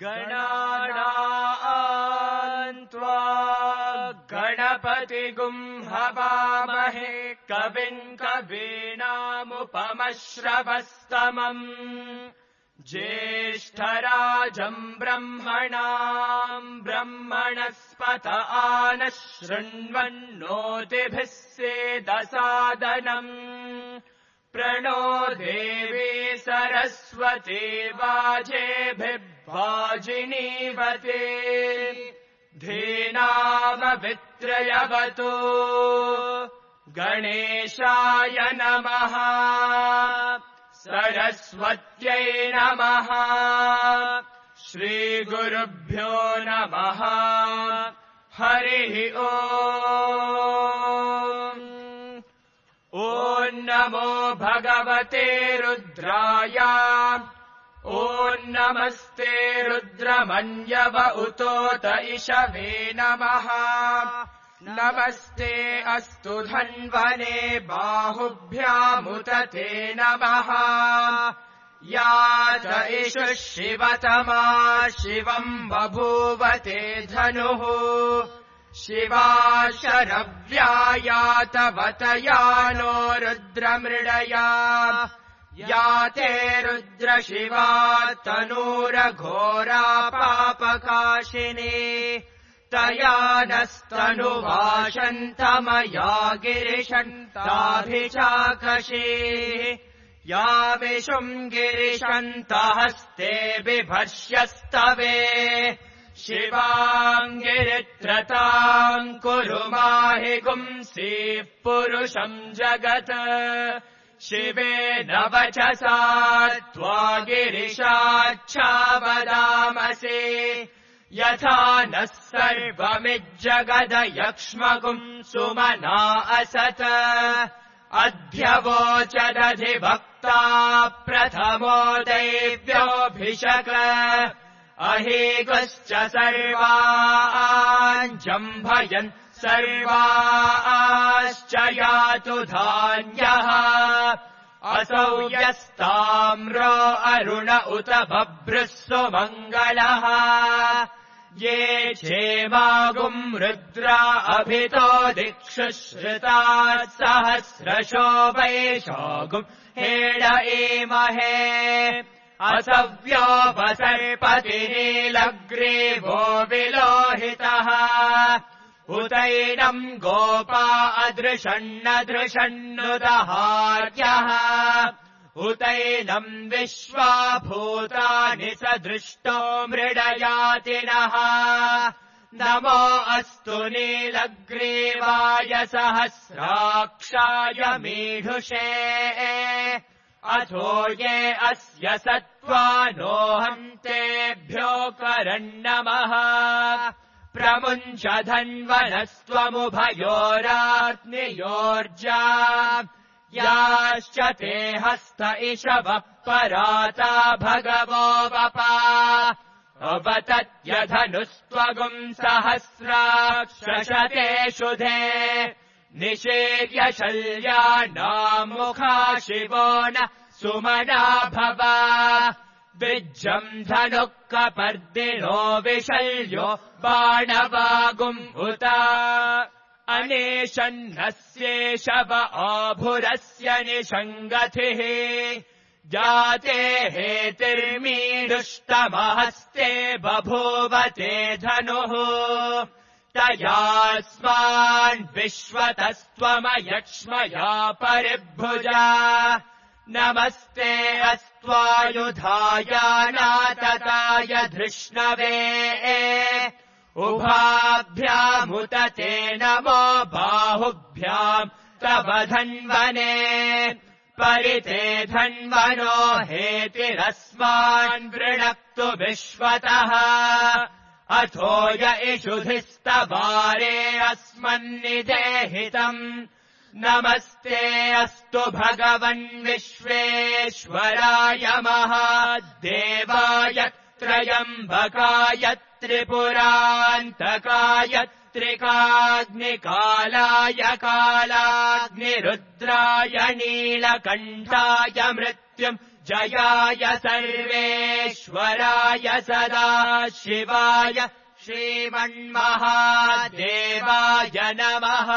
गणानाम् त्वा गणपतिगुं हवामहे कविम् कवीनामुपमश्रवस्तमम् ज्येष्ठराजम् ब्रह्मणाम् ब्रह्मणस्पत आनः शृण्वन्नोतिभिः सेदसादनम् प्रणो देवी सरस्वती वाजेभिर्वाजिनीवते धीनामवित्रयवतु गणेशाय नमः सरस्वत्यै नमः श्रीगुरुभ्यो नमः हरिः ओम् ॐ नमो भगवते रुद्राय ॐ नमस्ते रुद्रमन्यव उतोत इषवे नमः नमस्ते अस्तु धन्वने बाहुभ्यामुत ते नमः या च इषुः शिवतमा शिवम् बभूव ते धनुः शिवा शरव्या तवतया नो रुद्रमृडया या ते रुद्रशिवा तनूरघोरा पापकाशिनी तया नस्तनुवाशन्तमया गिरिशन्ताभिचाकशी यामिषुम् गिरिशन्तहस्ते बिभर्ष्यस्तवे शिवाम् गिरित्रताम् कुरु माहि गुंसीः पुरुषम् जगत् शिवेन वचसा त्वा गिरिशाच्छावदामसि यथा नः सर्वमिज्जगदयक्ष्मगुम् सुमना असत् अध्यवोचदधिभक्ता प्रथमो दैव्योऽभिषक अहेगश्च सर्वाञ्जम्भयन् सर्वाश्च यातु धान्यः असौ यस्ताम्रो अरुण उत बभ्रुः सुमङ्गलः ये क्षेमागुम् रुद्रा अभितो दिक्षु श्रुताः सहस्रशो वैशागुम् हेड एमहे असव्योपसर्पतिनीलग्रीवो विलोहितः उतैनम् गोपा अदृशन्नदृशन्नुदहार्यः उतैनम् विश्वा भूतानि सदृष्टो मृडयातिनः नमो अस्तु नीलग्रीवाय सहस्राक्षाय मीढुषे अथो ये अस्य सत्त्वानोऽहम् तेभ्यो करन्नमः प्रमुञ्च धन्वनस्त्वमुभयोराग्नियोर्जा याश्च ते हस्त इषवः पराता भगवो वपा अवतत्यधनुस्त्वगुम् सहस्राक्षशते शुधे निषेव्य शल्यानाम् मुखा शिवो न सुमना भव विज्जम् धनुः कपर्दिनो विशल्यो बाणवागुम् उत अनेशन्नस्येषव आभुरस्य निषङ्गतिः जाते हेतिर्मीडुष्टमहस्ते बभूवते धनुः तयास्मान् विश्वतस्त्वमयक्ष्मया परिभुजा नमस्ते अस्त्वायुधाय नातताय धृष्णवे उभाभ्यामुत ते नमो बाहुभ्याम् तव धन्वने परिते धन्वनो हेतिरस्मान् वृणक्तु विश्वतः अथो य इषुधिस्तवारे अस्मन्निदेहितम् नमस्ते अस्तु भगवन् विश्वेश्वराय महादेवाय त्रयम्बकाय त्रिपुरान्तकाय त्रिकाग्निकालाय कालाग्निरुद्राय नीलकण्ठाय मृत्युम् जयाय सर्वेश्वराय सदाशिवाय श्रीमन्महादेवाय नमः।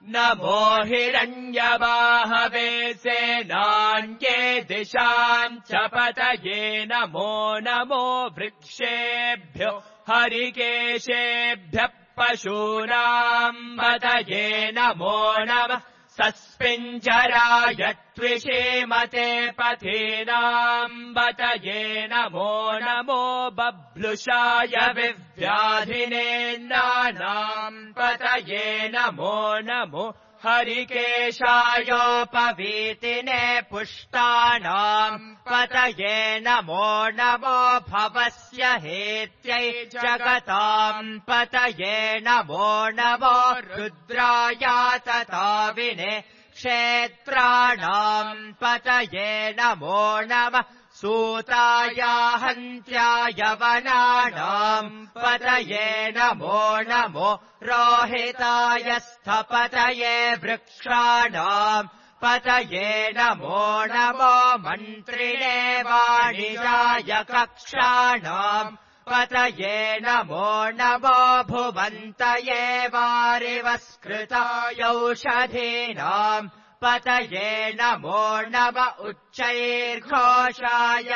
नमो हिरण्यवाहवे सेनान्ये दिशाम् च पतये नमो नमो वृक्षेभ्यो हरिकेशेभ्यः पशूनाम् पतये नमो नमः। सस्पिञ्जराय त्विषीमते पथीनाम् पतये नमो नमो। बभ्लुषाय विव्याधिनेन्द्राणाम् पतये नमो नमो। हरिकेशायोपवीतिने पुष्टानाम् पतये नमो नमो। भवस्य हेत्यै जगताम् पतये नमो नमो। रुद्राय तताविने क्षेत्राणाम् पतये नमो नमः। सूताय हन्त्याय वनानाम् पतये नमो नमो। रोहिताय स्थपतये वृक्षाणाम् पतये नमो नमो। मन्त्रिणे वाणिजाय कक्षाणाम् पतये नमो नमो। भुवन्तये वारिवस्कृताय औषधीनाम् पतये नमो नम। उच्चैर्घोषाय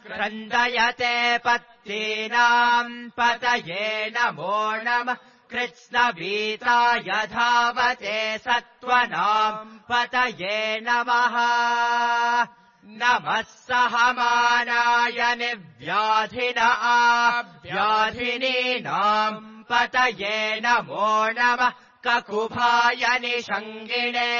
क्रन्दयते पत्तीनाम् पतये नमो नमः। कृत्स्नवीताय धावते सत्त्वनाम् पतये नमः। नमः सहमानाय निव्याधिन आव्याधिनीनाम् पतये नमो नमः। ककुभाय निषङ्गिणे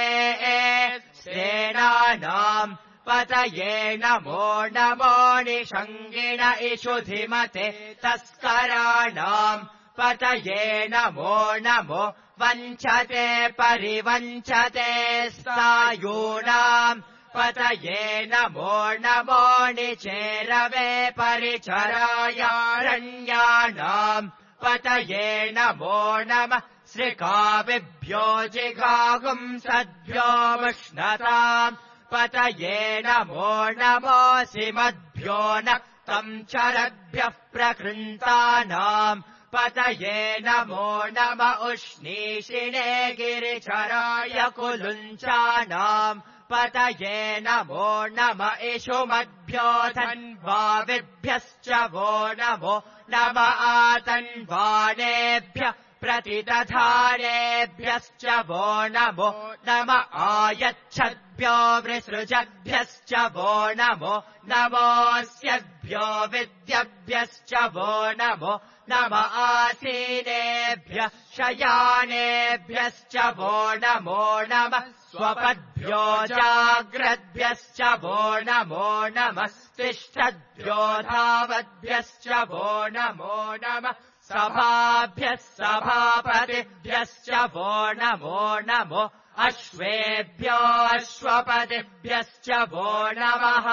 सेनानाम् पतये नमो नमो। निषङ्गिण इषुधिमते तस्कराणाम् पतये नमो नमो। वञ्चते परिवञ्चते स्नायूनाम् पतये नमो नमो। निचेरवे परिचरायारण्यानाम् पतये नमो नमः। श्रिकाविभ्यो जिघागुंसद्भ्यो मुष्णताम् पतये नमो नमो। सिमद्भ्यो नक्तम् चरद्भ्यः प्रकृन्तानाम् पतये नमो नम। उष्णीषिणे गिरिचराय कुलुञ्चानाम् पतये नमो नम। इषुमद्भ्यो धन्वाविभ्यश्च वो नमो नम। आतन्वानेभ्यः प्रतिदधानेभ्यश्च वो नमो नम। आयच्छद्भ्यो वृसृजद्भ्यश्च वो नमो नमोऽस्यद्भ्यो विद्यभ्यश्च वो नमो नम। आसीनेभ्यः शयानेभ्यश्च वो नमो नम। स्वपद्भ्यो जाग्रद्भ्यश्च वो नमो नमः। तिष्ठद्भ्यो धावद्भ्यश्च वो नमो नमः। सभाभ्यः सभापतिभ्यश्च वो नमो नमो। अश्वेभ्यो अश्वपतिभ्यश्च वो नमः।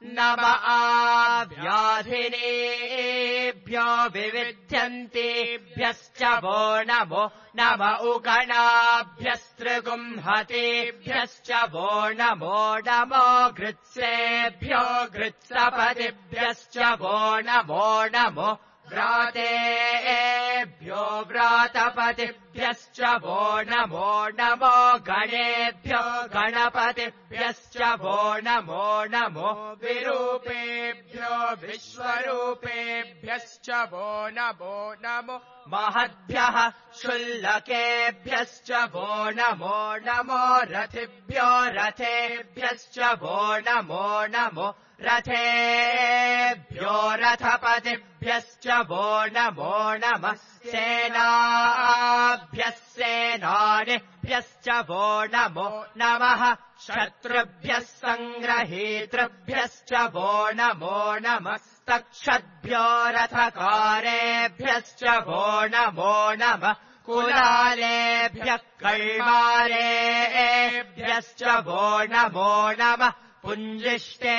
नम आव्याधिनेभ्यो विविध्यन्तेभ्यश्च वो नमो नम। उगणाभ्यस्त्रिगुंहतेभ्यश्च वो नमो नमो। गृत्सेभ्यो गृत्सपतिभ्यश्च वो नमो नमो। व्रातेभ्यो व्रातपतिभ्यश्च वो नमो नमो। गणेभ्यो गणपतिभ्यश्च वो नमो नमो। विरूपेभ्यो विश्वरूपेभ्यश्च वो नमो नमो। महद्भ्यः शुल्लकेभ्यश्च वो नमो नमो। रथिभ्यो रथेभ्यश्च वो नमो नमो। रथेभ्यो रथपतिभ्यश्च वो नमो नमः। सेनाभ्यः सेनानिभ्यश्च वो नमो नमः। शत्रुभ्यः सङ्ग्रहीतृभ्यश्च वो नमो नमः। तक्षद्भ्यो रथकारेभ्यश्च वो नमो नमः। कुलालेभ्यः कल्मारेभ्यश्च वो नमो नमः। पुञ्जिष्टेभ्यो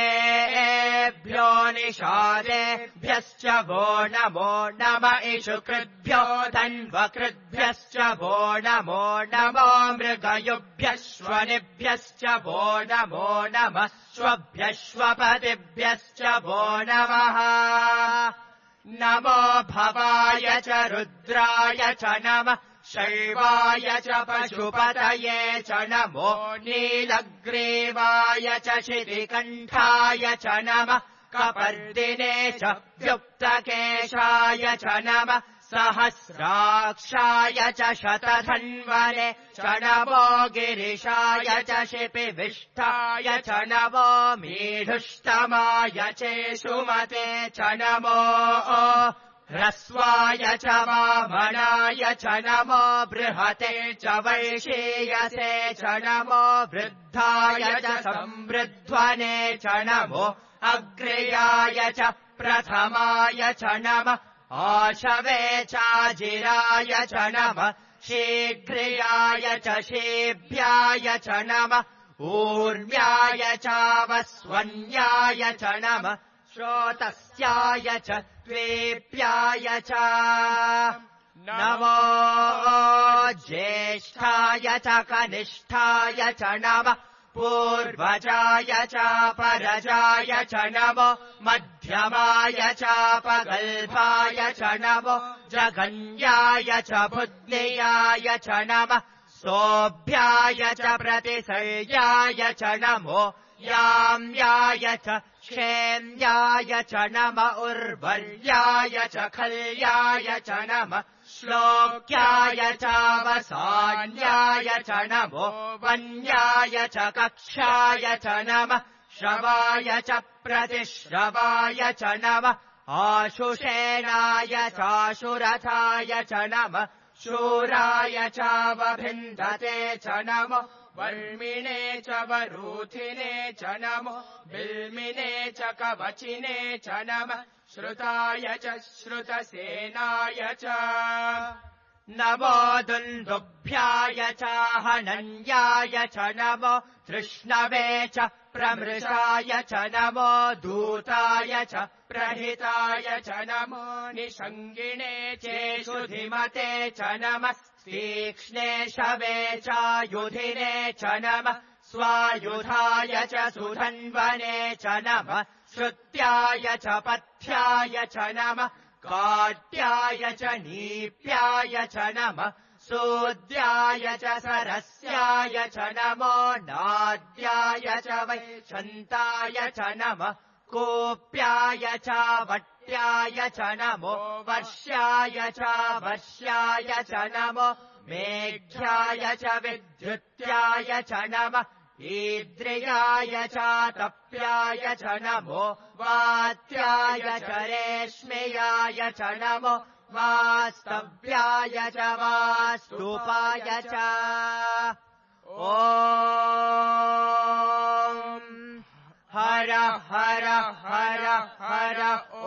निषादेभ्यश्च वो नमो नम इषुकृद्भ्यो धन्वकृद्भ्यश्च वो नमो नमो मृगयुभ्यश्वनिभ्यश्च वो नमो नमः श्वभ्यश्वपतिभ्यश्च वो नमः नमो भवाय च रुद्राय च नमः शैवाय च पशुपतये च नमो नीलग्रीवाय च शितिकण्ठाय च नमः कपर्दिने च व्युक्तकेशाय च नमः सहस्राक्षाय च शतधन्वने च नमो गिरिशाय च शिपिविष्टाय च नमो मीढुष्टमाय चेषुमते च नमो ह्रस्वाय च वामनाय च नमो बृहते च वैशीयसे च नमो वृद्धाय च संवृध्वने च नमो अग्र्याय च प्रथमाय च नमः आशवे चाजिराय च नमः शीघ्रियाय च शीभ्याय च नमः ऊर्म्याय चावस्वन्याय च नमः श्रोतस्याय च द्वेप्याय च नमो ज्येष्ठाय च कनिष्ठाय च नमः पूर्वजाय च परजाय च नमो मध्यमाय च पगल्भाय च नमो जघन्याय च बुद्धियाय च नमः सोऽभ्याय च प्रतिसर्याय च नमो याम्याय च क्षेम्याय च नम उर्वर्याय च खल्याय च नमः श्लोक्याय चावसान्याय च नमो वन्याय च कक्षाय च नमः श्रवाय च प्रतिश्रवाय च नमः आशुषेणाय चाशुरथाय च नमः शूराय चावभिन्दते च नमो वर्मिणे च वरूथिने च नमो बिल्मिने च कवचिने च नमः श्रुताय च श्रुतसेनाय च नमो दुन्दुभ्याय च हनन्याय च नमो तृष्णवे च प्रमृषाय च नमो दूताय च प्रहिताय च नमो निषङ्गिणे चेषुधिमते च नमः तीक्ष्णे शवे चायुधिने च नमः स्वायुधाय च सुधन्वने च नमः श्रुत्याय च पथ्याय च नमः काट्याय च नीप्याय च नमः सूद्याय च सरस्याय च नमो नाद्याय च वैशन्ताय च नमः कोप्याय च वट्याय च नमो वर्ष्याय च वर्ष्याय च नमो मेघ्याय च विद्युत्याय च नमः ईद्रियाय च तप्याय च नमो वात्याय च रेश्म्याय च नमो वास्तव्याय च वास्तुपाय च ॐ हर हर हर हर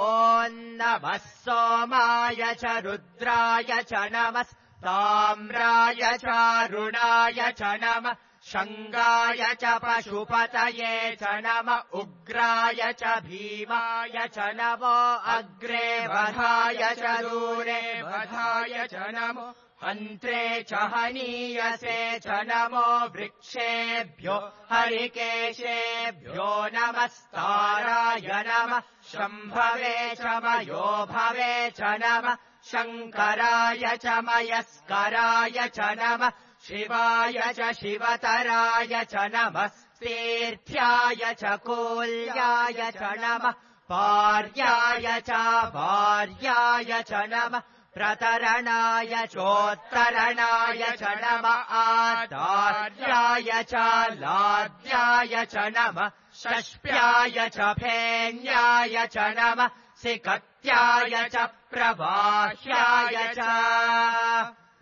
ॐ नमः सोमाय च रुद्राय च नमः ताम्राय चारुणाय च नमः शङ्गाय च पशुपतये च नमः उग्राय च भीमाय च नमो अग्रे वधाय च दूरे वधाय च नमो हन्त्रे च हनीयसे च नमो वृक्षेभ्यो हरिकेशेभ्यो नमस्ताराय नमः शम्भवे च मयोभवे च नमः शङ्कराय च मयस्कराय च नमः शिवाय च शिवतराय च नमः तीर्थ्याय च कूल्याय च नमः पार्याय च भार्याय च नमः प्रतरणाय चोत्तरणाय च नमः आचार्याय च लाद्याय च नमः षष्प्याय च फेन्याय च नमः सिकत्याय च प्रवाह्याय च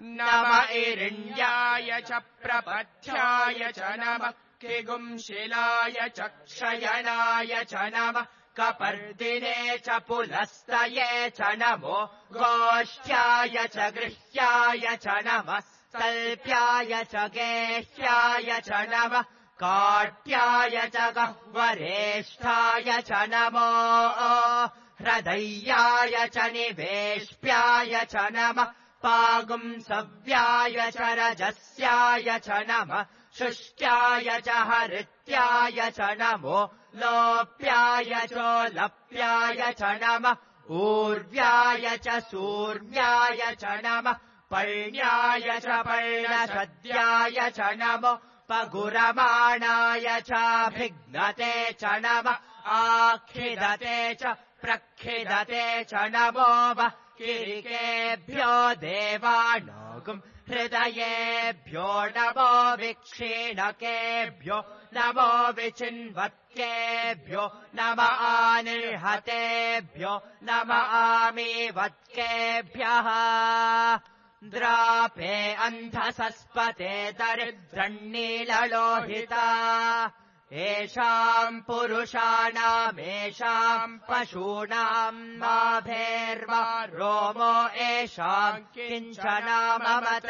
नम इरिण्याय च प्रपथ्याय च नमः किगुंशिलाय च क्षयनाय च नमः कपर्दिने च पुलस्तये च नमो गोष्ठ्याय च गृह्याय च नमः तल्प्याय च गेह्याय च नमः काट्याय च गह्वरेष्ठाय च नमो हृदय्याय च निवेश्याय च नमः पागुंसव्याय च रजस्याय च नमः शुष्ट्याय च हरित्याय च नमो लोप्याय चोलप्याय च नमः ऊर्व्याय च सूर्याय च नमः पर्ण्याय च पर्णशद्याय च नमो पगुरमाणाय चाभिघ्नते च नमः आखिदते च प्रखिदते च नमो वः किरिकेभ्यो देवानागुम् हृदयेभ्यो नमो विक्षीणकेभ्यो नमो विचिन्वत्केभ्यो नम आनिर्हतेभ्यो नम आमीवत्केभ्यः द्रापे अन्धसस्पते दरिद्रण्नीललोहिता येषाम् पुरुषाणामेषाम् पशूनाम् नाभेर्वा रोमो येषाम् किञ्चनाममत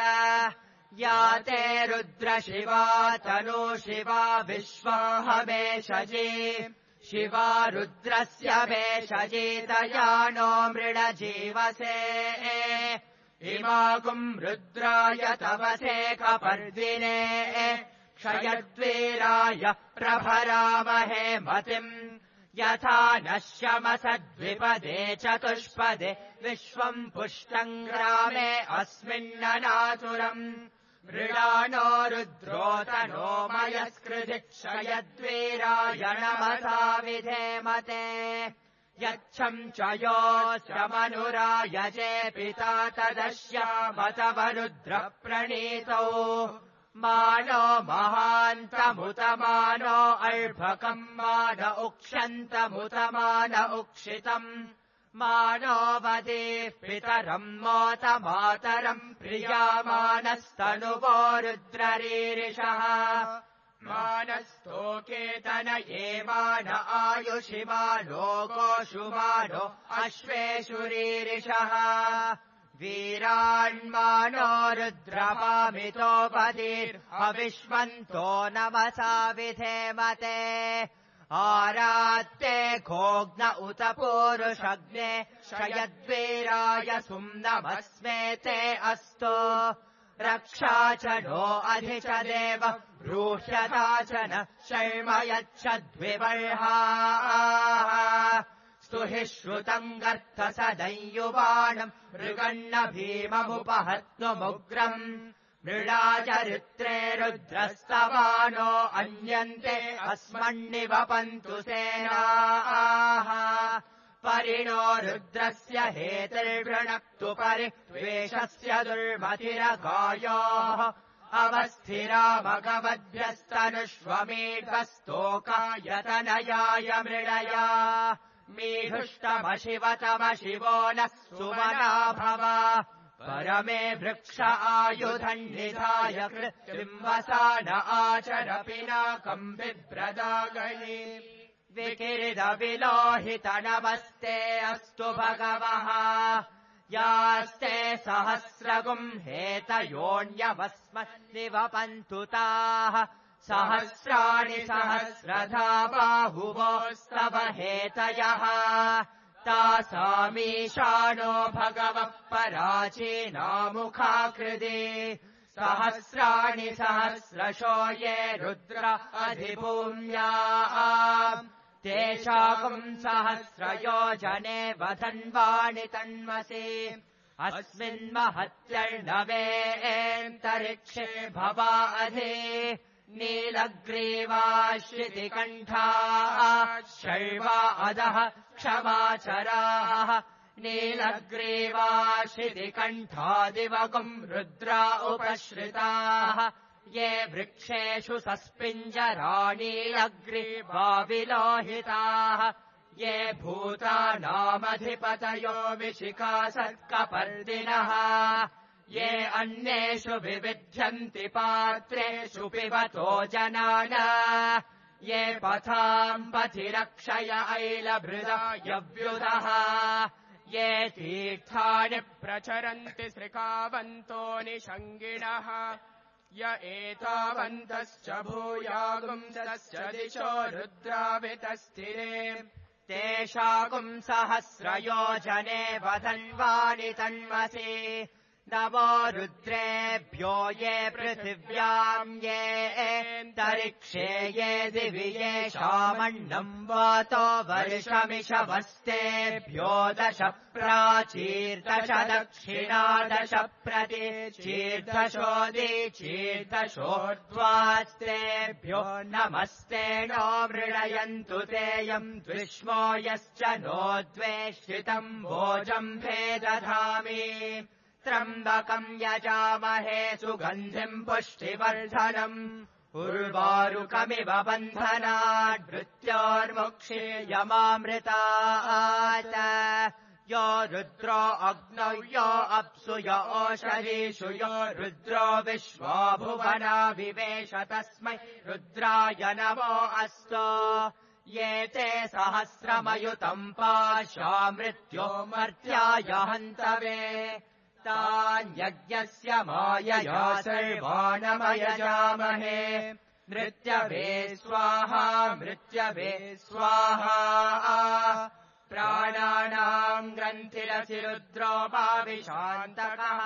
या ते रुद्रशिवा तनु शिवा विश्वाहमेषजी शिवा रुद्रस्य भेषजीतया नो मृडजीवसे इमागुम् रुद्राय तवसे कपर्दिने क्षयद्वीराय प्रभरामहे मतिम् यथा नश्यमसद्विपदे चतुष्पदे विश्वम् पुष्टम् ग्रामे अस्मिन्ननातुरम् मृडानो रुद्रोतनो मयस्कृधि क्षयद्वीराय नमसा विधेमते यच्छम् च योऽस्य मनुरायजे पिता तदश्यामतवरुद्रप्रणीतौ मानो महान्तमुतमानो अर्भकम् मान उक्षन्तमुतमान उक्षितम् मानो वदेः पितरम् मोतमातरम् प्रियामानस्तनुवो रुद्ररीरिषः मानस्तोकेतन एवान आयुषिमानो गोषुमानो अश्वेषुरीरिषः वीरान्मानो रुद्रपामितोपदीर्हविष्मन्तो नमसा विधेमते आरात्ते घोग्न उत पूरुषग्ने क्षयद्वीराय सुम्नमस्मेते अस्तु रक्षा च नो अधि च देव ब्रूह्यता च न शर्म यच्छद्विबर्हाः स्तुहि श्रुतम् गर्तसदयुवाणम् मृगन्न भीममुपहत्नुमुग्रम् मृडाचरित्रे रुद्रस्तवानो अन्यन्ते अस्मन्निवपन्तु सेनाः परिणो रुद्रस्य हेतिर्वृणक्तु परिद्वेषस्य दुर्मतिरगायोः अवस्थिरा भगवद्भ्यस्तनुष्वमेकस्तोकायतनयाय मृडया मीढुष्टमशिवतमशिवो नः सुमना भव परमे वृक्ष आयुधन्निधाय कृत्रिम्वसान आचर पिनाकम् बिभ्रदागणि विकिरिदविलोहितनमस्ते अस्तु भगवः यास्ते सहस्रगुम् हेतयोऽन्यवस्मन्निवपन्तु ताः सहस्राणि सहस्रधा बाहुवोस्तव हेतयः तासामीशानो भगवः पराचीनामुखाकृति सहस्राणि सहस्रशो ये रुद्र अधिभूम्या तेषाकुम् सहस्रयोजने वधन्वाणि तन्मसि अस्मिन्महत्यर्णवेऽन्तरिक्षे भवा अधि नीलग्रीवाश्रितिकण्ठाः शर्वा अधः क्षमाचराः नीलग्रीवाशितिकण्ठादिवगुम् रुद्रा उपश्रिताः ये वृक्षेषु सस्पिञ्जराणीलग्रीवाविलोहिताः ये भूतानामधिपतयो विशिखासत्कपर्दिनः ये अन्येषु विविध्यन्ति पात्रेषु पिबतो जनान ये पथाम् पथिरक्षय ऐलभृदायव्युदः ये तीर्थानि प्रचरन्ति श्रिकावन्तो निषङ्गिणः य एतावन्तश्च भूयागुंसश्च दिशो रुद्राभितस्थिरे तेषागुंसहस्रयोजने वधन्वानि तन्मसि नमो रुद्रेभ्यो ये पृथिव्याम् ये तरिक्षे ये दिवि येषामन्नम् वातो वर्षमिषवस्तेभ्यो 10 प्राचीर्दश दक्षिणा 10 प्रतीचीर्दशोदीचीर्दशोर्ध्वास्तेभ्यो नमस्ते नो मृणयन्तु तेयम् द्विष्मो यश्च नो द्वेष्टितम् भोजम् भेदधामि त्र्यम्बकम् यजामहे सुगन्धिम् पुष्टिवर्धनम् उर्वारुकमिव बन्धनात् मृत्योर्मुक्षीयमामृतात् यो रुद्रो अग्नौ यो अप्सु यो ओषधीषु यो रुद्रो विश्वा भुवना विवेश तस्मै रुद्राय नमो अस्तु ये ते सहस्रमयुतम् पाशा मृत्यो मर्त्याय हन्तवे तान्यज्ञस्य मायया सर्वाणमयजामहे मृत्यवे स्वाहा मृत्यवे स्वाहा प्राणानाम् ग्रन्थिरसि रुद्रोपाविशान्तकः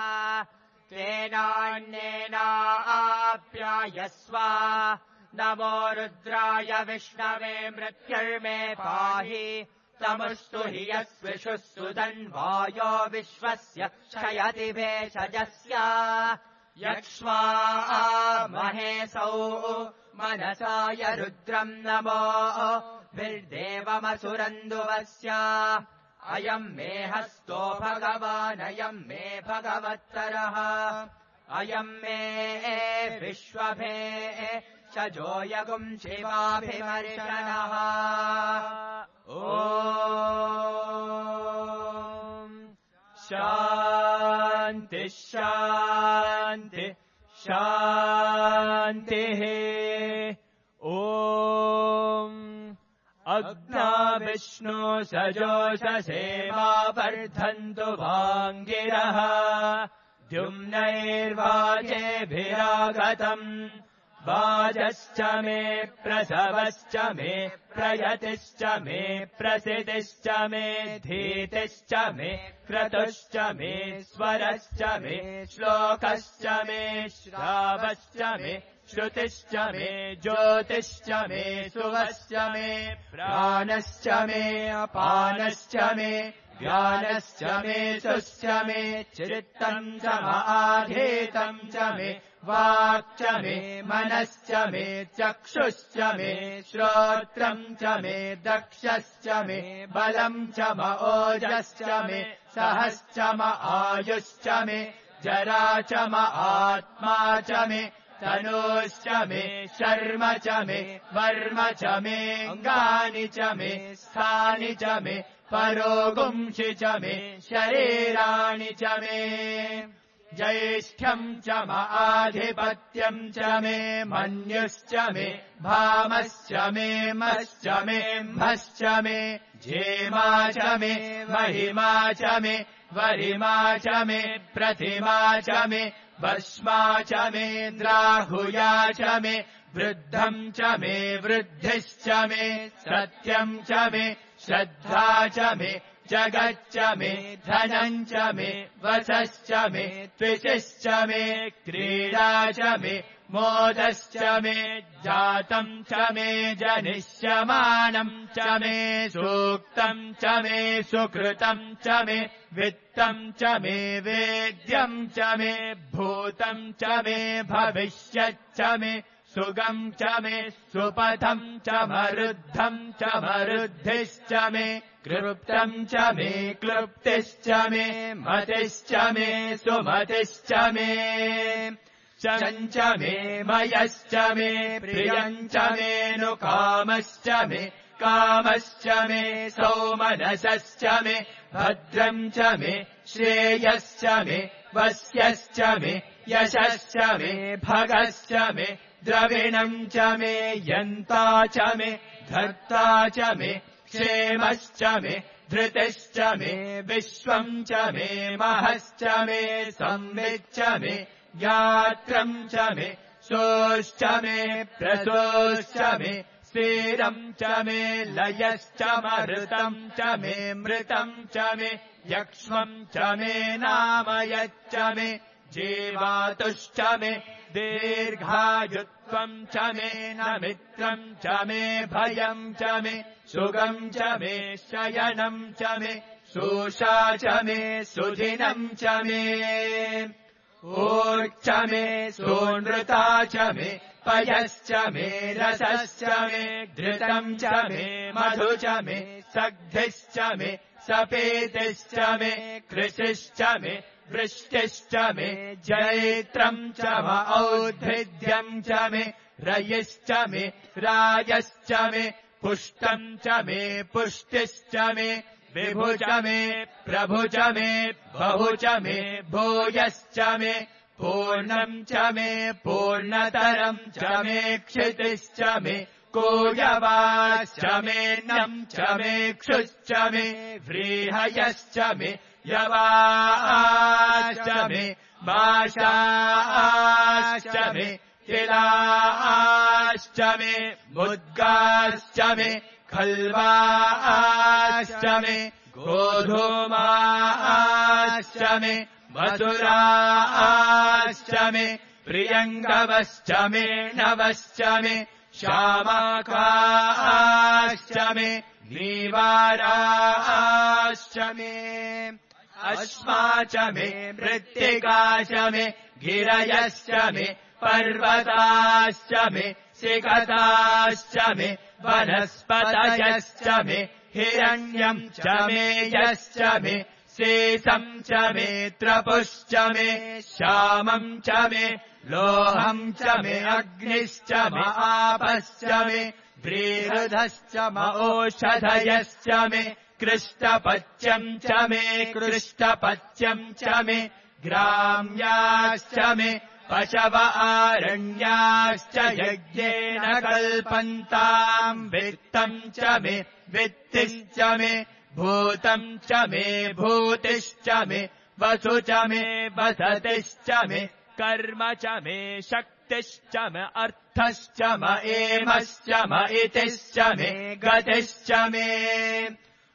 तेनान्येनाप्यायस्व नमो रुद्राय विष्णवे मृत्युर्मे पाहि तमुस्तु हि यस्विषुः सुधन्वायो विश्वस्य क्षयति भेषजस्य यक्ष्वा महेशौ मनसाय रुद्रम् नमो भिर्देवमसुरन्दुवस्य अयम् मे हस्तो भगवानयम् मे भगवत्तरः अयम् मे विश्वभे शजोयगुम् शिवाभिमर्शनः ॐ शान्ति शान्ति शान्तिः ॐ अग्ना विष्णु सजोषसेवा वर्धन्तु वाङ्गिरः द्युम्नैर्वाजेभिरागतम् वाजश्च मे प्रसवश्च मे प्रयतिश्च मे प्रसिद्धिश्च मे धीतिश्च मे क्रतुश्च मे स्वरश्च मे श्लोकश्च मे श्रावश्च मे श्रुतिश्च मे ज्योतिश्च मे सुवश्च मे प्राणश्च मे अपानश्च मे ज्ञानश्च मे सुश्च मे चित्तम् च महाधीतम् च मे वाक् च मे मनश्च मे चक्षुश्च मे श्रोत्रम् च मे दक्षश्च मे बलम् च ओजश्च मे सहश्च आयुश्च मे जरा च आत्मा च मे तनूश्च मे शर्म च मे वर्म च मे अङ्गानि च मे स्थानि च मे परोगुंषि च मे शरीराणि च मे ज्येष्ठ्यम् च आधिपत्यम् च मे मन्युश्च मे भामश्च मे मश्च मे म्भश्च मे जेमा च मे महिमा च मे वरिमा च मे प्रतिमा च मे भस्मा च मे द्राहुया च मे वृद्धम् च मे वृद्धिश्च मे सत्यम् च मे श्रद्धा च मे जगच्च मे धनम् च मे वसश्च मे त्विषश्च मे क्रीडा च मे मोदश्च मे जातम् च मे जनिष्यमानम् च मे सूक्तम् च मे सुकृतम् च मे वित्तम् च मे वेद्यम् च मे भूतम् च मे भविष्यच्च मे सुगम् च मे सुपथम् च मरुद्धम् च मरुद्धिश्च मे क्लृप्तम् च मे क्लृप्तिश्च मे मतिश्च मे सुमतिश्च मे चञ्च मे मयश्च मे प्रियम् च मेऽनुकामश्च मे कामश्च मे सौमनसश्च मे भद्रम् च मे श्रेयश्च मे वस्यश्च मे यशश्च मे भगश्च मे द्रविणम् च मे यन्ता च मे धर्ता च मे क्षेमश्च मे धृतिश्च मे विश्वम् च मे महश्च मे संविच्च मे गात्रम् च मे सोश्च मे प्रसोश्च मे स्थिरम् च मे लयश्च मृतम् च मे मृतम् च मे यक्ष्मम् च मे नामयच्च मे जीवातुश्च मे दीर्घायुत्वम् च मे नमित्रम् च मे भयम् च मे सुगम् च मे शयनम् च मे शोषा च मे सुदिनम् च मे ऊर्च मे सोनृता च मे पयश्च मे रसश्च मे धृतम् च मे मधु च मे सग्धिश्च मे सपेतिश्च मे कृषिश्च मे वृष्टिश्च मे जैत्रम् च औद्भिद्यम् च मे रयिश्च मे रायश्च मे पुष्टम् च मे पुष्टिश्च मे विभु च मे प्रभु च मे बहु च मे भूयश्च मे पूर्णम् च मे पूर्णतरम् च मे क्षितिश्च मे कोयवाश्च मे नम् च मे क्षुश्च मे व्रीहयश्च मे यवाश्च मे माशाश्च मे तिलाश्च मे मुद्गाश्च मे खल्वाश्च मे गोधूमाश्च मे मधुराश्च मे प्रियङ्गवश्च मे नवश्च मे श्यामाकाश्च मे नीवाराश्च मे अश्मा च मे मृत्तिका च मे गिरयश्च मे पर्वताश्च मे सिकताश्च मे वनस्पतयश्च मे हिरण्यम् च मे यश्च मे शेषम् च मे त्रपुश्च मे श्यामम् च मे लोहम् च मे अग्निश्च मे आपश्च मे व्रीहृधश्च मे ओषधयश्च मे कृष्टपच्यम् च मे कृष्टपच्यम् च मे ग्राम्याश्च मे पशव आरण्याश्च यज्ञेन कल्पन्ताम् वित्तम् च मे वित्तिश्च मे भूतम् च मे भूतिश्च मे वसु च मे वसतिश्च मे कर्म च मे शक्तिश्च मे अर्थश्च मे एमश्च मे इतिश्च मे गतिश्च मे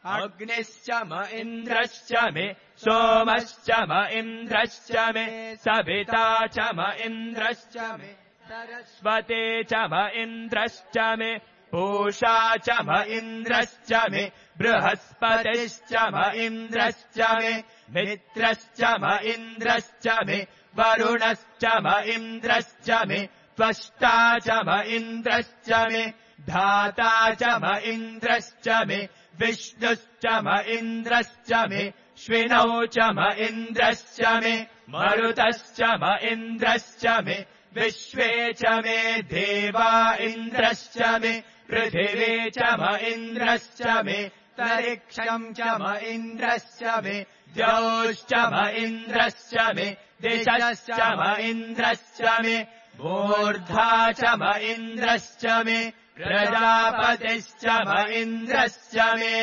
अग्निश्च मे इन्द्रश्च मे सोमश्च मे इन्द्रश्च मे सविता च मे इन्द्रश्च मे सरस्वती च मे इन्द्रश्च मे पूषा च मे इन्द्रश्च मे बृहस्पतिश्च मे इन्द्रश्च मे मित्रश्च मे इन्द्रश्च मे वरुणश्च मे इन्द्रश्च मे त्वष्टा च मे इन्द्रश्च मे धाता च मे इन्द्रश्च मे विष्णुश्च मे इन्द्रश्च मे श्विनौ च मे इन्द्रश्च मे मरुतश्च मे इन्द्रश्च मे विश्वे च मे देवा इन्द्रश्च मे पृथिवी च मे इन्द्रश्च मे तरिक्षम् च मे इन्द्रश्च मे द्यौश्च मे इन्द्रश्च मे दिशश्च मे इन्द्रश्च मे मूर्धा च मे इन्द्रश्च मे प्रजापतिश्च मे इन्द्रश्च मे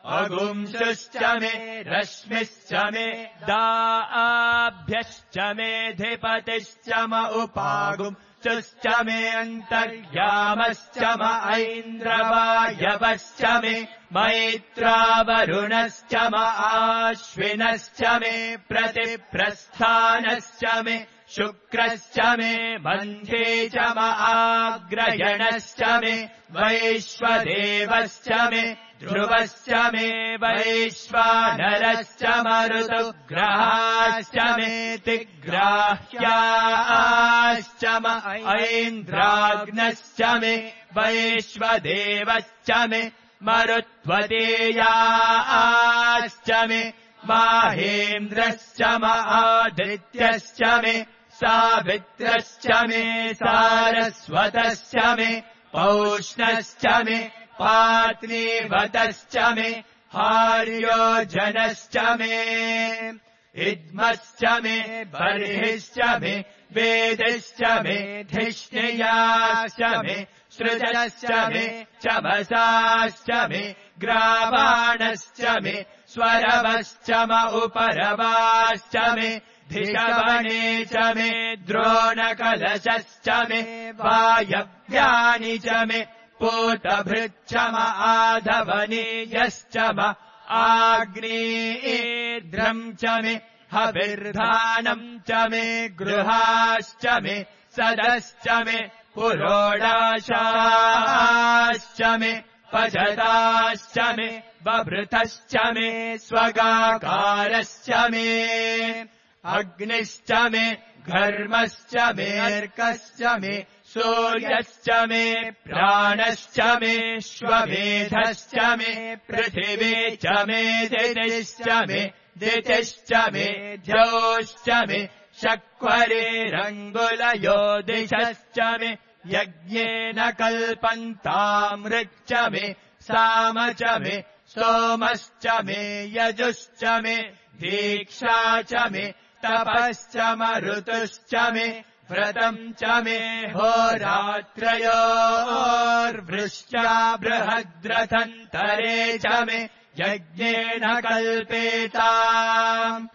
अगुंसुश्च मे रश्मिश्च मे दाभ्यश्च मे धिपतिश्च मे उपागुंसुश्च मे अन्तर्यामश्च मे ऐन्द्रवायवश्च मे मैत्रावरुणश्च मे आश्विनश्च मे प्रतिप्रस्थानश्च मे शुक्रश्च मे मन्थे च मे आग्रयणश्च मे वैश्वदेवश्च मे ध्रुवश्च मे वैश्वानरश्च मरुतुग्रहाश्च मे तिग्राह्याश्च मे ऐन्द्राग्नश्च मे वैश्वदेवश्च मे मरुत्वतेयाश्च मे माहेन्द्रश्च मे आदित्यश्च मे सावित्रश्च मे सारस्वतश्च मे पौष्णश्च मे पात्नीवतश्च मे हार्योजनश्च मे इद्मश्च मे बर्हिश्च मे वेदिश्च मे धिष्णियाश्च मे सृजश्च मे चमसाश्च मे ग्रावाणश्च मे स्वरवश्च मे उपरवाश्च मे धिषवणे च मे द्रोणकलशश्च मे वायव्यानि च मे पूतभृच्छम आधवनीयश्च म आग्नेयेद्रम् च मे हविर्धानम् च मे गृहाश्च मे सदश्च मे पुरोडाशाश्च मे पजताश्च मे बभृतश्च मे स्वगाकारश्च मे अग्निश्च मे घर्मश्च मे अर्कश्च मे सूर्यश्च मे प्राणश्च मे श्वमेधश्च मे पृथिवी च मे दितिश्च मे द्यौश्च मे शक्वरेरङ्गुलयो दिशश्च मे यज्ञेन कल्पन्तामृच्च मे साम च मे सोमश्च मे यजुश्च मे दीक्षा च मे तपश्च मरुतुश्च मे व्रतम् च मे होरात्रयोर्वृष्ट्या बृहद्रथन्तरे च मे यज्ञेन कल्पेताम्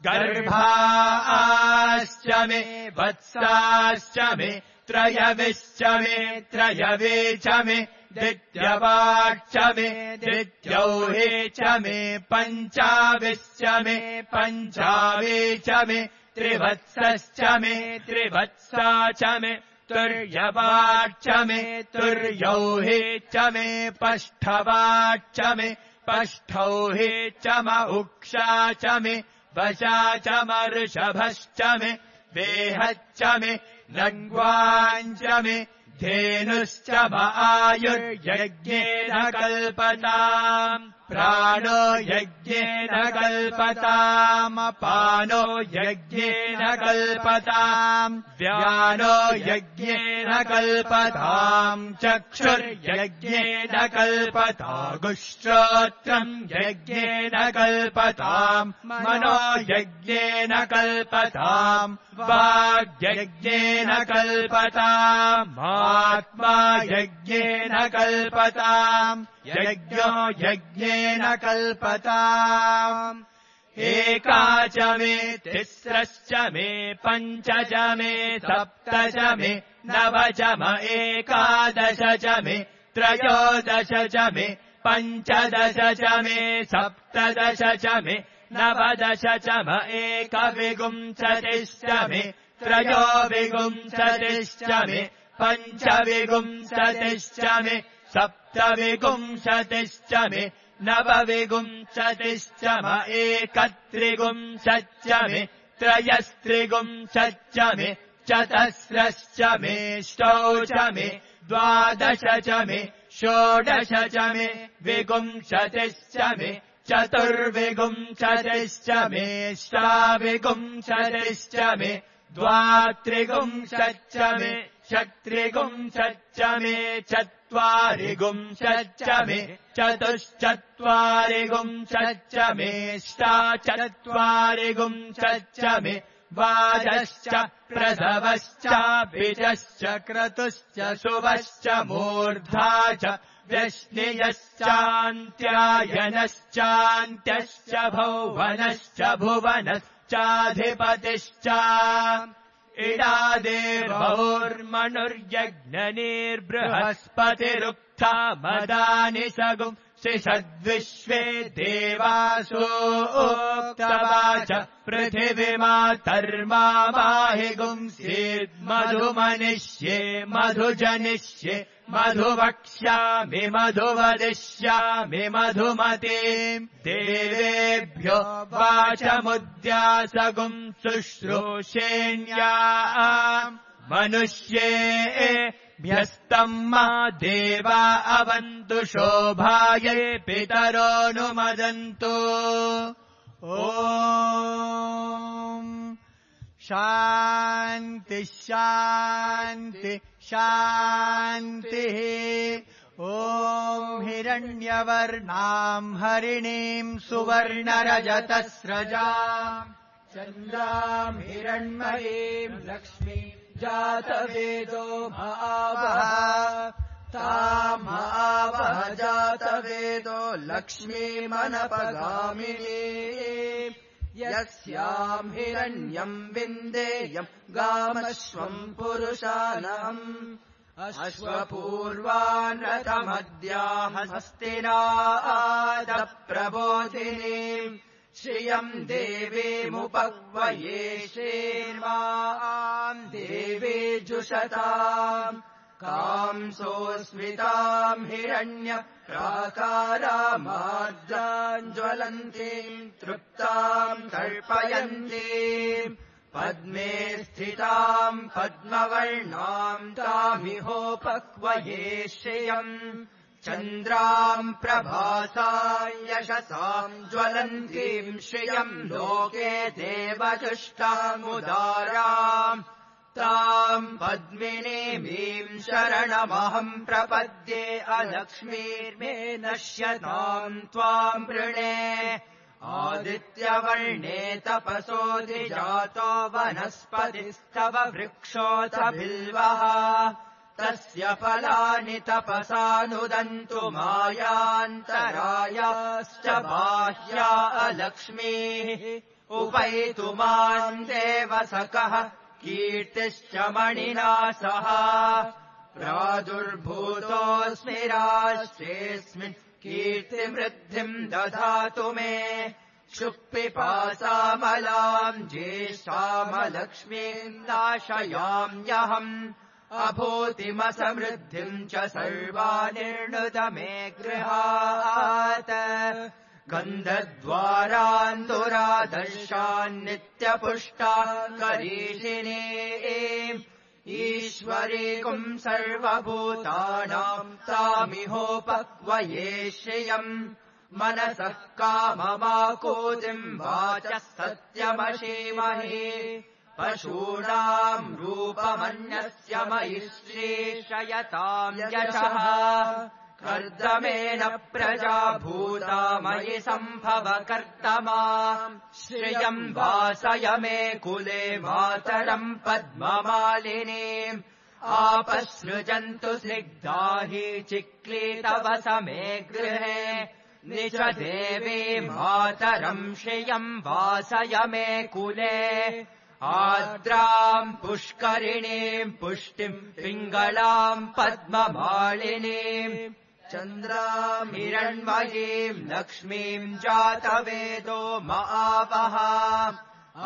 गर्भाश्च मे वत्साश्च मे त्रयविश्च मे त्रयवे च मे दित्यवाक्च मे दित्यौहे च मे पञ्चाविश्च मे पञ्चावे च मे त्रिवत्सश्च मे त्रिवत्सा च मे तुर्यवाक्च मे तुर्यौहे च मे पष्ठवाक्च मे पष्ठौहे च म उक्षा च मे वशा च मऋषभश्च मे वेहच्च मे लङ्ग्वाञ्च मे धेनुश्च म आयुर्यज्ञेन कल्पताम् प्राणो यज्ञेन कल्पताम् अपानो यज्ञेन कल्पताम् व्यानो यज्ञेन कल्पताम् चक्षुर्यज्ञेन कल्पतागुश्रोत्रम् यज्ञेन कल्पताम् मनो यज्ञेन कल्पताम् वाग्यज्ञेन कल्पताम् आत्मा यज्ञेन कल्पताम् यज्ञो यज्ञेन कल्पताम् एका च मे तिस्रश्च मे पञ्च च मे सप्त च मे नव च म एकादश च मे त्रयोदश च मे पञ्चदश च मे सप्तदश च मे नवदश च म एकविंशतिश्च मे त्रयोविंशतिश्च मे पञ्चविंशतिश्च मे सप्तविंशतिश्च मे नवविंशतिश्च म एकत्रिंशच्च मे त्रयस्त्रिंशच्च मे चतस्रश्च मे ष्टौ च मे द्वादश च मे षोडश च मे विंशतिश्च मे चतुर्विंशतिश्च मे ष्टाविंशतिश्च मे द्वात्रिंशच्च मे षट्त्रिंशच्च मे चत्वारिंशच्च मे चतुश्चत्वारिंशच्च मे ष्टाचत्वारिंशच्च मे वाजश्च प्रसवश्च बीजश्च क्रतुश्च शुभश्च मूर्धा च व्यश्नियश्चान्त्यायनश्चान्त्यश्च भौवनश्च भुवनश्चाधिपतिश्च इडादेवौर्मनुर्यज्ञनिर्बृहस्पतिरुक्था मदानि सगुं शिषद्विश्वे देवासोक्तवाच पृथिवीमातर्मा माहि गुंसीद्मधुमनिष्ये मधुजनिष्ये मधुवक्ष्यामि मधुवदिष्यामि मधुमतीम् देवेभ्यो वाचमुद्यासगुं शुश्रूषेण्या मनुष्येभ्यस्तम् मा देवा अवन्तु शोभायै पितरोऽनुमदन्तु ॐ शान्ति शान्ति शान्तिः ॐ हिरण्यवर्णाम् हरिणीम् सुवर्णरजतस्रजाम् चन्द्राम् हिरण्मयीम् लक्ष्मीम् जातवेदो महावः तामावः जातवेदो लक्ष्मीमनपगामिनी यस्याम् हिरण्यम् विन्देयम् गामश्वम् पुरुषानहम् अश्वपूर्वान् रथमद्याः हस्तिनादप्रबोधिनीम् श्रियम् देवीमुपक्वये श्रीर्वाम् देवी जुषताम् कांसोऽस्मिताम् हिरण्य प्राकारामार्द्राम् ज्वलन्तीम् तृप्ताम् तर्पयन्तीम् पद्मे स्थिताम् पद्मवर्णाम् तामिहोपक्वये श्रियम् चन्द्राम् प्रभासाम् यशसाम् ज्वलन्तीम् श्रियम् लोके देवजुष्टामुदाराम् ताम् पद्मिनीमीम् शरणमहम् प्रपद्ये अलक्ष्मीर्मे नश्यताम् त्वाम् वृणे आदित्यवर्णे तपसोऽधिजातो वनस्पतिस्तव वृक्षोऽथ बिल्वः तस्य फलानि तपसानुदन्तु मायान्तरायाश्च बाह्या अलक्ष्मीः उपैतु माम् देवसखः कीर्तिश्च मणिना सह प्रादुर्भूतोऽस्मि राष्ट्रेऽस्मिन् कीर्तिवृद्धिम् दधातु मे क्षुक्पिपासामलाम् ज्येष्ठामलक्ष्मीम् नाशयाम्यहम् अभूतिमसमृद्धिम् च सर्वानिर्णुत मे गृहात् गन्धद्वारान्तुरादर्शान् नित्यपुष्टान् करीषिणे ईश्वरीकुम् सर्वभूतानाम् तामिहोपक्वये श्रियम् मनसः काममाकूतिम् वाचः सत्यमशीमहि पशूनाम् रूपमन्यस्य मयि श्रीशयताम् यशः कर्दमेन प्रजा भूता मयि सम्भव कर्तमा श्रियम् वासय मे कुले मातरम् पद्ममालिनीम् आपसृजन्तु स्निग्धा हि चिक्लीतव समे गृहे निज देवी मातरम् श्रियम् वासय मे कुले आर्द्राम् पुष्करिणीम् पुष्टिम् पिङ्गलाम् पद्ममालिनीम् चन्द्राम् हिरण्मयीम् लक्ष्मीम् जातवेदो महावः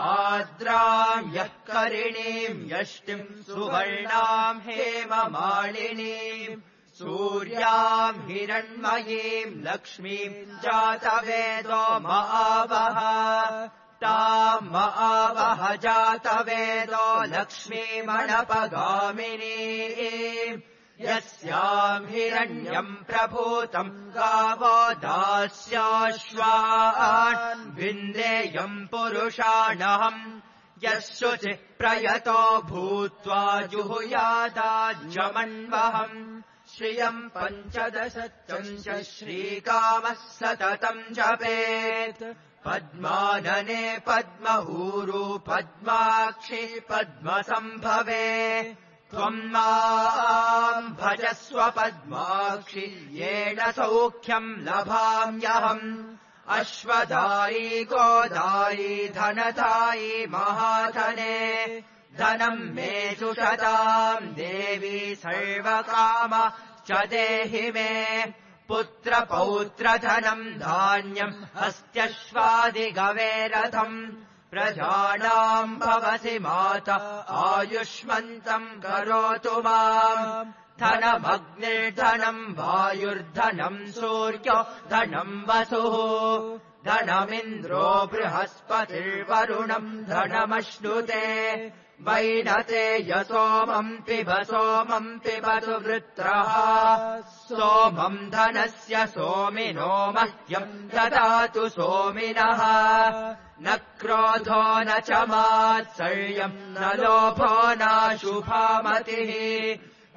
आर्द्राम् यः करिणीम् यष्टिम् सुवर्णाम् हेममालिनीम् सूर्याम् हिरण्मयीम् लक्ष्मीम् जातवेदो महावः ताम् महावः जातवेदो लक्ष्मीमणपगामिनीम् यस्याम् हिरण्यम् प्रभूतम् गावो दास्याश्वान् विन्देयम् पुरुषाणहम् यः शुचिः प्रयतो भूत्वा जुहुयादाज्यमन्वहम् श्रियम् पञ्चदशचञ्च श्रीकामः सततम् जपेत् पद्मानने पद्मऊरू पद्माक्षी पद्मसम्भवे त्वम् माम् भजस्व पद्माक्षि येन सौख्यम् लभाम्यहम् अश्वदायी गोदायी धनदायी महाधने धनम् मे जुषताम् देवी सर्वकाम च देहि मे पुत्रपौत्रधनम् धान्यम् हस्त्यश्वादिगवेरथम् प्रजानाम् भवसि माता आयुष्मन्तम् करोतु माम् धनमग्निर्धनम् वायुर्धनम् सूर्यो धनम् वसुः धनमिन्द्रो बृहस्पतिर्वरुणम् धनमश्नुते वैनते सोमम् पिबतु वृत्रः सोमम् धनस्य सोमिनो मह्यम् ददातु सोमिनः न क्रोधो न च मात्सर्यम् न लोभो नाशुभामतिः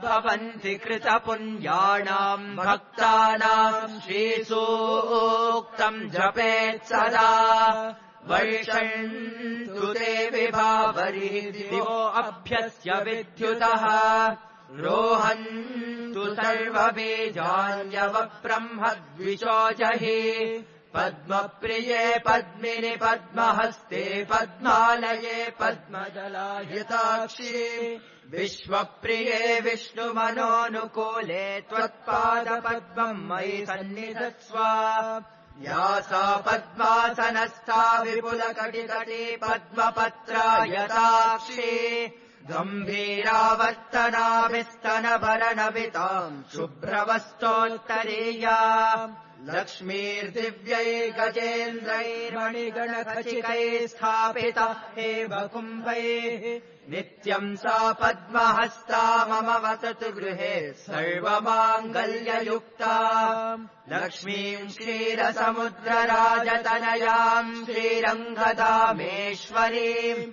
भवन्ति कृतपुण्यानाम् भक्तानाम् श्रीसूक्तम् जपेत् सदा वर्षन्तु ते विभावरिः दिवो अभ्यस्य विद्युतः रोहन्तु सर्वबीजान्यव ब्रह्म द्विषोजहि पद्मप्रिये पद्मिनि पद्महस्ते पद्मालये पद्मदलायताक्षी विश्वप्रिये विष्णुमनोनुकूले त्वत्पादपद्मम् मयि सन्निधत्स्व या सा पद्मासनस्था विपुलकटिकटी पद्मपत्रायताक्षी गम्भीरावर्तनाभिस्तनभरणविताम् शुभ्रवस्तोत्तरीया लक्ष्मीर्दिव्यै गजेन्द्रैर्मणिगणखचिकैः स्थापिता एव कुम्भैः नित्यम् सा पद्महस्ता मम वसतु गृहे सर्वमाङ्गल्ययुक्ता लक्ष्मीम् क्षीरसमुद्रराजतनयाम् श्रीरङ्गधामेश्वरीम्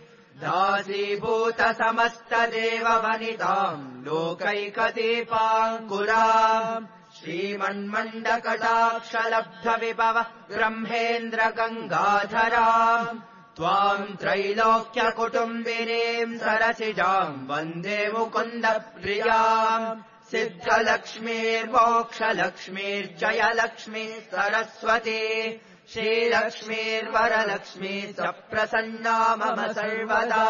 दासीभूतसमस्तदेववनिताम् लोकैकदीपाङ्कुराम् श्रीमन्मण्डकटाक्षलब्धविभव ब्रह्मेन्द्रगङ्गाधराम् त्वाम् त्रैलोक्यकुटुम्बिनीम् सरसिजाम् वन्दे मुकुन्दप्रियाम् सिद्धलक्ष्मीर्मोक्षलक्ष्मीर्जयलक्ष्मी सरस्वती श्रीलक्ष्मीर्वरलक्ष्मी सप्रसन्ना मम सर्वदा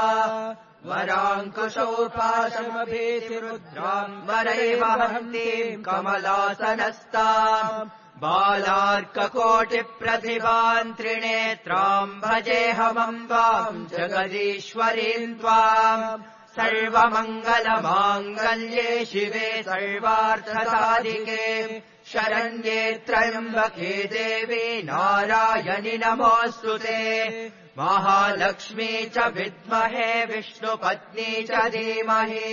वराङ्कुशोपाशमभीतिरुद्राम् वरैव हन्तीम् कमलासनस्ताम् बालार्ककोटिप्रतिभान् त्रिनेत्राम् भजेऽहमम्बाम् जगदीश्वरीम् त्वाम् सर्वमङ्गलमाङ्गल्ये शिवे सर्वार्थसाधिके शरण्ये त्र्यम्बके देवी नारायणि नमोऽस्तुते महालक्ष्मी च विद्महे विष्णुपत्नी च धीमहि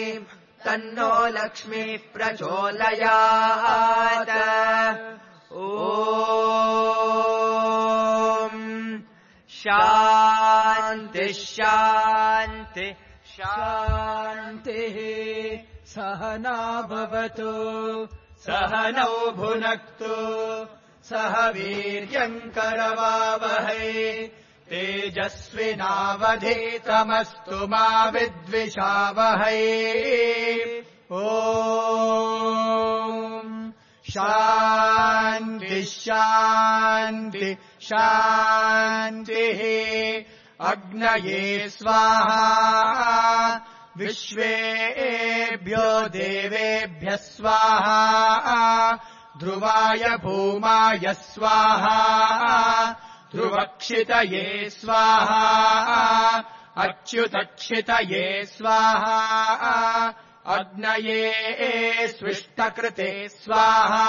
तन्नो लक्ष्मी प्रचोदयात् ॐ शान्ति शान्ति शान्तिः सहना भवतु सहनौ भुनक्तु सह वीर्यम् करवावहै तेजस्विनावधीतमस्तु मा विद्विषावहै ॐ शान्ति शान्ति शान्तिः अग्नये स्वाहा विश्वेभ्यो देवेभ्यः स्वाहा ध्रुवाय भूमाय स्वाहा ध्रुवक्षितये स्वाहा अच्युतक्षितये स्वाहा अग्नये स्विष्टकृते स्वाहा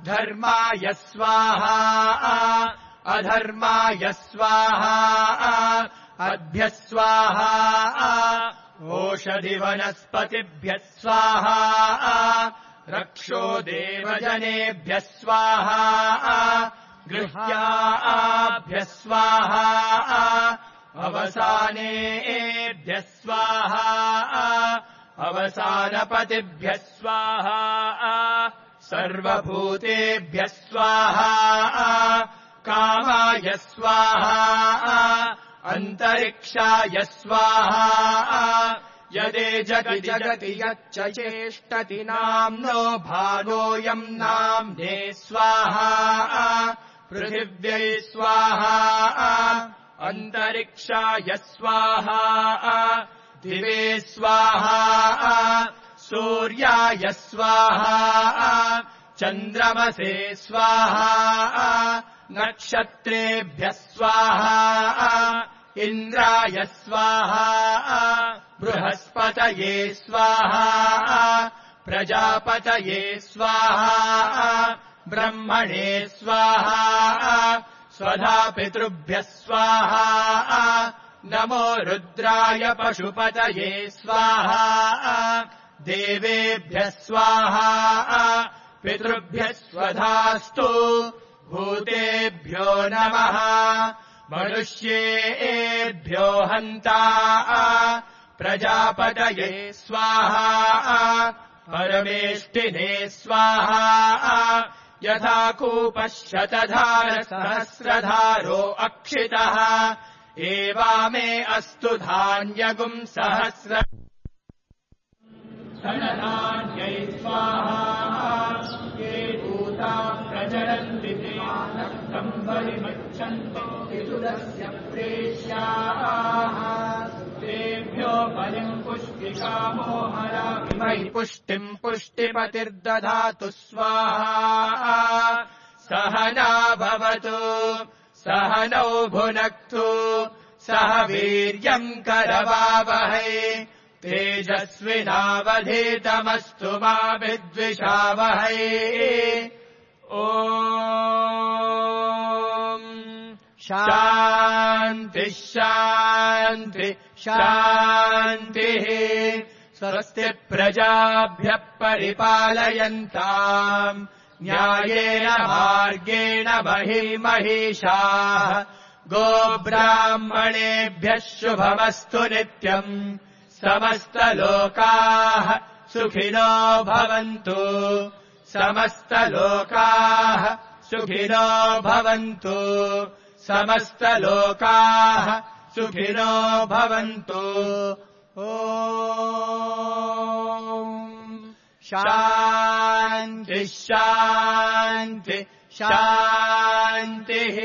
धर्माय स्वाहा अधर्माय स्वाहा अद्भ्यः स्वाहा ओषधिवनस्पतिभ्यः स्वाहा रक्षो देवजनेभ्यः स्वाहा गृह्याभ्यः स्वाहा अवसानेभ्यः स्वाहा अवसानपतिभ्यः स्वाहा सर्वभूतेभ्यः स्वाहा कामाय स्वाहा अन्तरिक्षाय स्वाहा यदे जगति यच्च चेष्टति नाम्नो भानोऽयम् नाम्ने स्वाहा पृथिव्यै स्वाहा अन्तरिक्षाय स्वाहा दिवे स्वाहा सूर्याय स्वाहा चन्द्रमसे स्वाहा नक्षत्रेभ्यः स्वाहा इन्द्राय स्वाहा बृहस्पतये स्वाहा प्रजापतये स्वाहा ब्रह्मणे स्वाहा स्वधा पितृभ्यः स्वाहा नमो रुद्राय पशुपतये स्वाहा देवेभ्यः स्वाहा पितृभ्यः स्वधास्तु भूतेभ्यो नमः मनुष्येभ्यो हन्ता प्रजापतये स्वाहा परमेष्टिने स्वाहा यथा कूपः शतधारसहस्रधारो अक्षितः एवामे अस्तु धान्यगुम् सहस्र धनधान्यै स्वाहा ये भूता प्रचरन्ति ते सम्बलिमच्छन्तो विदुरस्य प्रेष्याः तेभ्यो बलिम् पुष्टिकामो हरामि मयि पुष्टिम् पुष्टिपतिर्दधातु स्वाहा सहना भवतु सहनौ भुनक्तु सह वीर्यम् करवावहै तेजस्विनावधीतमस्तु मा विद्विषावहै ॐ शान्तिः शान्तिः शान्तिः स्वस्ति प्रजाभ्यः परिपालयन्ताम् न्यायेन मार्गेण महिषाः गोब्राह्मणेभ्यः शुभमस्तु नित्यम् समस्तलोकाः सुखिनो भवन्तु समस्तलोकाः सुखिनो भवन्तु समस्तलोकाः सुखिनो भवन्तु ॐ शान्तिः शान्तिः शान्तिः